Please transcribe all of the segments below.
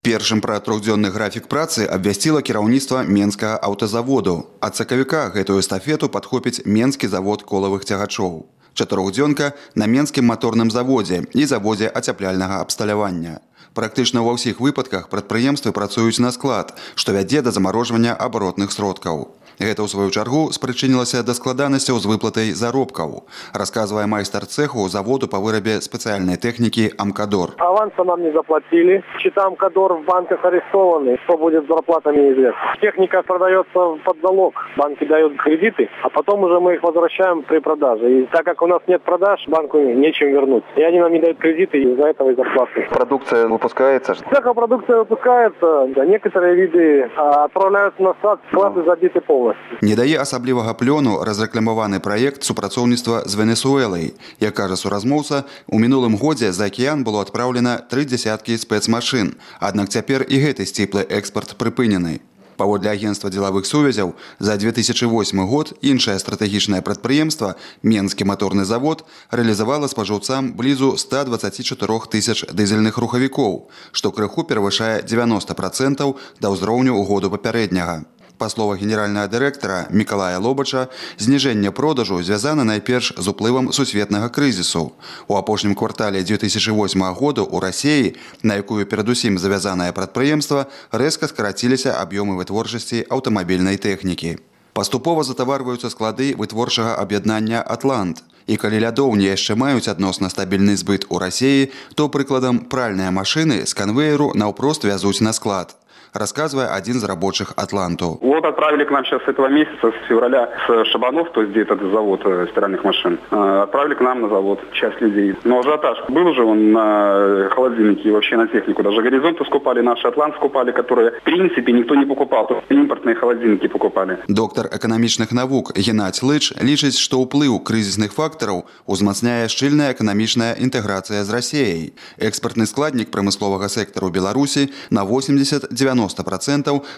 Першым пра трохдзённы графік працы абвясціла кіраўніцтва Менскага аўтазаводу. Ад сакавіка гэтую эстафету падхопіць Менскі завод колавых цягачоў. Чатырохдзёнка на Менскім маторным заводзе і заводзе ацяпляльнага абсталявання. Практычна ва ўсіх выпадках прадпрыемствы працуюць на склад, што вядзе да замарожвання абаротных сродкаў. Гэта, у сваю чаргу, спрычынілася да складанасцяў з выплатай заробкаў, расказвае майстар цеху заводу по вырабе спецыяльнай тэхнікі «Амкадор». Аванса нам не заплатили. Счета «Амкадор» в банках арестованы. Что будет с зарплатами, неизвестно. Техника продается под залог. Банки дают кредиты, а потом уже мы их возвращаем при продаже. И так как у нас нет продаж, банку нечем вернуть. И они нам не дают кредиты, и из-за этого и зарплаты. Продукция выпускается? Цеха продукция выпускается. Да, некоторые виды отправляются на склад, склады забиты полностью. Не дае асаблівага плёну разрэкламаваны праект супрацоўніцтва з Венесуэлай. Як кажа суразмоўца, у мінулым годзе за акіян было адпраўлена 3 дзясяткі спецмашын, аднак цяпер і гэты сціплы экспарт прыпынены. Паводле агенцтва дзелавых сувязяў, за 2008 год іншае стратэгічнае прадпрыемства, Менскі маторны завод, рэалізавала спажыўцам блізу 124 тысяч дызельных рухавікоў, што крыху перавышае 90% да ўзроўню ў году папярэдняга. Па словах генеральнага дырэктара Мікалая Лобача, зніжэнне продажу звязана найперш з уплывам сусветнага крызісу. У апошнім квартале 2008 году ў Расіі, на якую перадусім завязанае прадпрыемства, рэзка скараціліся аб'ёмы вытворчасці аўтамабільнай тэхнікі. Паступова затаварваюцца склады вытворчага аб'яднання «Атлант». І калі лядоўні яшчэ маюць адносна стабільны збыт у Расіі, то, прыкладам, пральныя машыны з канвееру наўпрост вязуць на склад, рассказывая один из рабочих «Атланту». Вот отправили к нам сейчас с этого месяца, с февраля, с Шабанов, то есть где этот завод стиральных машин, отправили к нам на завод часть людей. Но ажиотаж был уже он на холодильнике и вообще на технику. Даже «Горизонты» скупали, наши «Атлант» скупали, которые в принципе никто не покупал, то есть импортные холодильники покупали. Доктор эканамічных навук Геннадзь Лыч лічыць, што ўплыў крызісных фактараў узмацняе шчыльная эканамічная інтэграцыя з Расіяй. Экспартны складнік прамысловага сектару Беларусі на 80-90%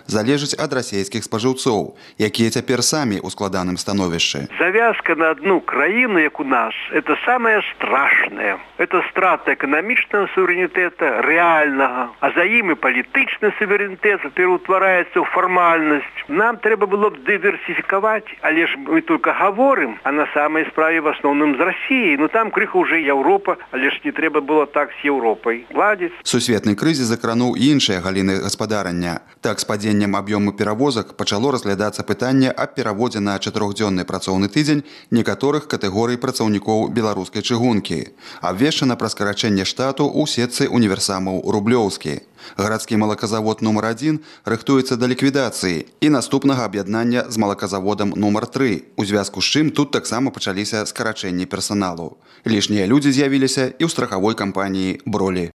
залежыць ад расійскіх спажыўцоў, якія цяпер самі ў складаным становішчы. Завязка на одну краіну, як у нас, это самое страшное. Это страта экономічного суверенитета, реального, а за ім і палітычны суверенитет пераўтвараецца ў фармальнасць. Нам трэба было б дыверсіфікаваць, але ж мы только говорим, а на самой справе в основном з Расіяй. Ну там крыху уже Европа, але ж не трэба было так з Европой ладзіць. Сусветны крызіс закрануў і іншыя галіны гаспадарання. Так, з падзеннем аб'ёму перавозак пачало разглядацца пытанне аб пераводзе на 4-дзённы працоўны тыдзень некаторых катэгорый працаўнікоў беларускай чыгункі. Абвешчана пра скарачэнне штату ў сетцы універсамаў «Рублёўскі». Гарадскі малаказавод нумар 1 рыхтуецца да ліквідацыі і наступнага аб'яднання з малаказаводам нумар 3, у звязку з чым тут таксама пачаліся скарачэнні персаналу. Лішнія людзі з'явіліся і ў страхавой кампаніі «Бролі».